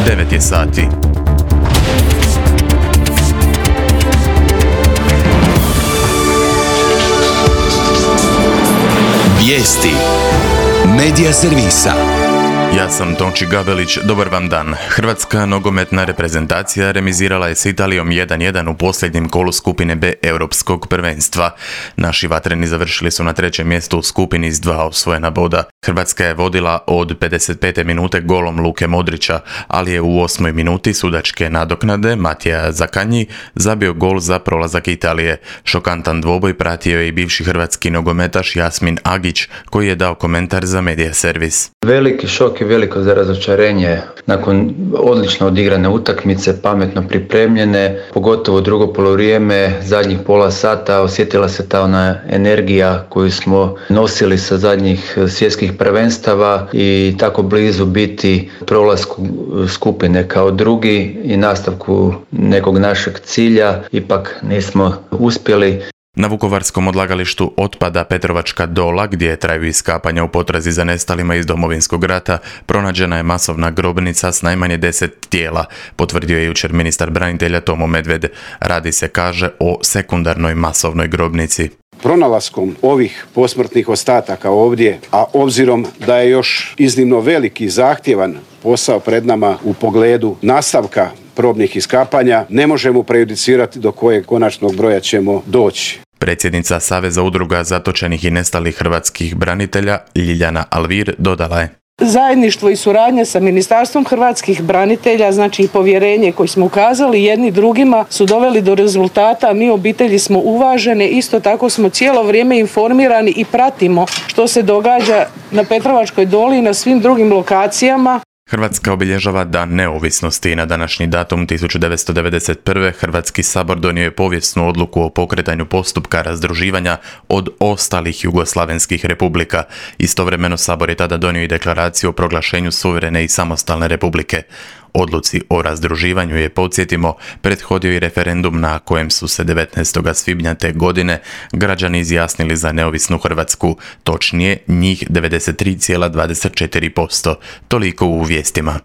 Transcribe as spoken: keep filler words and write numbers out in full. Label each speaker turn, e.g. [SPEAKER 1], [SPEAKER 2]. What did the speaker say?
[SPEAKER 1] devet je sati.
[SPEAKER 2] Vijesti Medija servisa.
[SPEAKER 1] Ja sam Tonči Gabelić, dobar vam dan. Hrvatska nogometna reprezentacija remizirala je s Italijom jedan jedan u posljednjem kolu skupine B Europskog prvenstva. Naši vatreni završili su na trećem mjestu u skupini s dva osvojena boda. Hrvatska je vodila od pedeset pete minute golom Luke Modrića, ali je u osmoj minuti sudačke nadoknade Matija Zakanji zabio gol za prolazak Italije. Šokantan dvoboj pratio je i bivši hrvatski nogometaš Jasmin Agić, koji je dao komentar za Medija servis.
[SPEAKER 3] Veliki šok i veliko za razočarenje nakon odlično odigrane utakmice, pametno pripremljene, pogotovo drugo polovrijeme, zadnjih pola sata osjetila se ta ona energija koju smo nosili sa zadnjih svjetskih prvenstava i tako blizu biti prolasku skupine kao drugi i nastavku nekog našeg cilja, ipak nismo uspjeli.
[SPEAKER 1] Na vukovarskom odlagalištu otpada Petrovačka Dola, gdje traju iskapanja u potrazi za nestalima iz Domovinskog rata, pronađena je masovna grobnica s najmanje deset tijela, potvrdio je jučer ministar branitelja Tomo Medved. Radi se, kaže, o sekundarnoj masovnoj grobnici.
[SPEAKER 4] Pronalaskom ovih posmrtnih ostataka ovdje, a obzirom da je još iznimno veliki zahtjevan posao pred nama u pogledu nastavka probnih iskapanja, ne možemo prejudicirati do kojeg konačnog broja ćemo doći.
[SPEAKER 1] Predsjednica Saveza udruga zatočenih i nestalih hrvatskih branitelja Ljiljana Alvir dodala je:
[SPEAKER 5] Zajedništvo i suradnja sa Ministarstvom hrvatskih branitelja, znači i povjerenje koje smo ukazali jedni drugima, su doveli do rezultata. Mi obitelji smo uvažene, isto tako smo cijelo vrijeme informirani i pratimo što se događa na Petrovačkoj Doli i na svim drugim lokacijama.
[SPEAKER 1] Hrvatska obilježava Dan neovisnosti i na današnji datum tisuću devetsto devedeset prve. Hrvatski sabor donio je povijesnu odluku o pokretanju postupka razdruživanja od ostalih jugoslavenskih republika. Istovremeno sabor je tada donio i deklaraciju o proglašenju suverene i samostalne republike. Odluci o razdruživanju je, podsjetimo, prethodio i referendum na kojem su se devetnaestog svibnja te godine građani izjasnili za neovisnu Hrvatsku, točnije njih devedeset tri zarez dvadeset četiri posto. Toliko u vijestima.